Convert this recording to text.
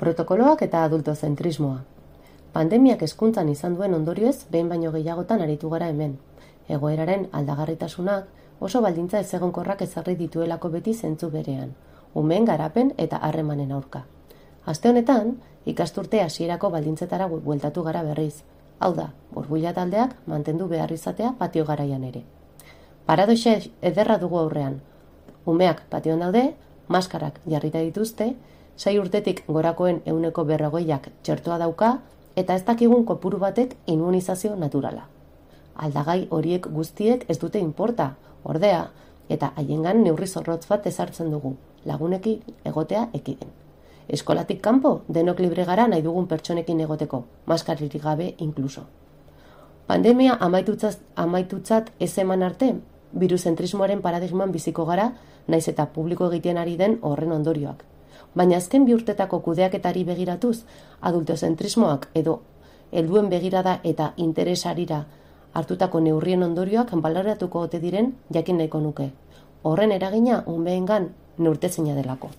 Protokoloak eta adultozentrismoa. Pandemiak hezkuntzan izan duen ondorioez behin baino gehiagotan aritu gara hemen. Egoeraren aldagarritasunak oso baldintza ezegonkorrak ezarri dituelako beti zentzu berean, umeen garapen eta harremanen aurka. Aste honetan, ikasturte hasierako baldintzetara bueltatu gara berriz. Hau da, burbuila taldeak mantendu behar izatea patio garaian ere. Paradoxa ederra dugu aurrean. Umeak patioan daude, maskarak jarrita dituzte, 6 urtetik gorakoen 40%ak txertoa dauka, eta ez dakigun kopuru batek immunizazio naturala. Aldagai horiek guztiek ez dute inporta, ordea, eta haiengan neurri zorrotz bat ezartzen dugu, lagunekin egotea ekiden. Eskolatik kanpo, denok libre gara nahi dugun pertsonekin egoteko, maskaririk gabe inkluso. Pandemia amaitutzat ez eman arte, biruzentrismoaren paradigman biziko gara, naiz eta publiko egiten ari den horren ondorioak. Baina azken 2 urtetako kudeaketari begiratuz, adultozentrismoak edo helduen begirada eta interesarira hartutako neurrien ondorioak baloratuko ote diren jakin nahiko nuke. Horren eragina umeengan neurtezina delako.